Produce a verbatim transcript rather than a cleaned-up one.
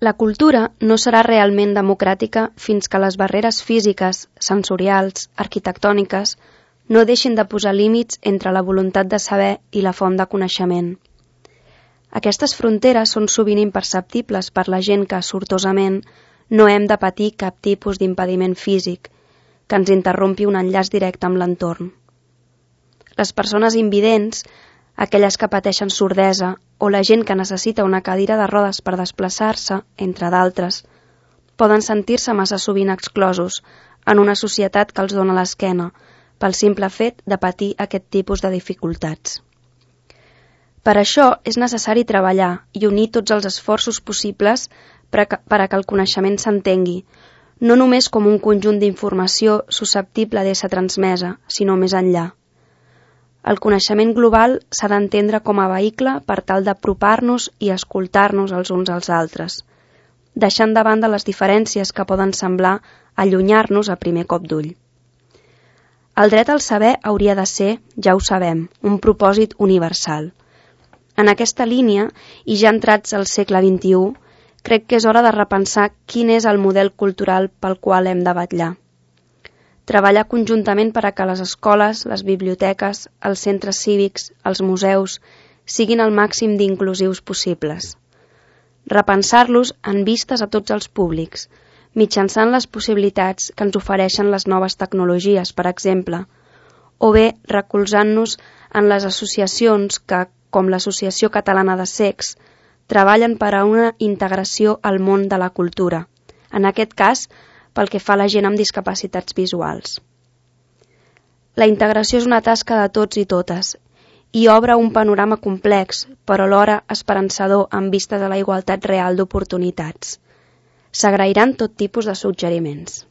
La cultura no serà realment democràtica fins que les barreres físiques, sensorials, arquitectòniques no deixin de posar límits entre la voluntat de saber i la font de coneixement. Aquestes fronteres són sovint imperceptibles per la gent que, sortosament, no hem de patir cap tipus d'impediment físic que ens interrompi un enllaç directe amb l'entorn. Les persones invidents, aquelles que pateixen sordesa o la gent que necessita una cadira de rodes per desplaçar-se, entre d'altres, poden sentir-se massa sovint exclosos en una societat que els dona l'esquena pel simple fet de patir aquest tipus de dificultats. Per això és necessari treballar i unir tots els esforços possibles per a que el coneixement s'entengui, no només com un conjunt d'informació susceptible d'ésser transmesa, sinó més enllà. El coneixement global s'ha d'entendre com a vehicle per tal d'apropar-nos i escoltar-nos els uns als altres, deixant de banda les diferències que poden semblar allunyar-nos a primer cop d'ull. El dret al saber hauria de ser, ja ho sabem, un propòsit universal. En aquesta línia, i ja entrats al segle vint-i-u, crec que és hora de repensar quin és el model cultural pel qual hem de vetllar. Treballar conjuntament per a que les escoles, les biblioteques, els centres cívics, els museus, siguin el màxim d'inclusius possibles. Repensar-los en vistes a tots els públics, mitjançant les possibilitats que ens ofereixen les noves tecnologies, per exemple, o bé recolzant-nos en les associacions que, com l'Associació Catalana de Cecs, treballen per a una integració al món de la cultura, en aquest cas, pel que fa a la gent amb discapacitats visuals. La integració és una tasca de tots i totes i obre un panorama complex, però alhora esperançador amb vistes a la igualtat real d'oportunitats. S'agrairan tot tipus de suggeriments.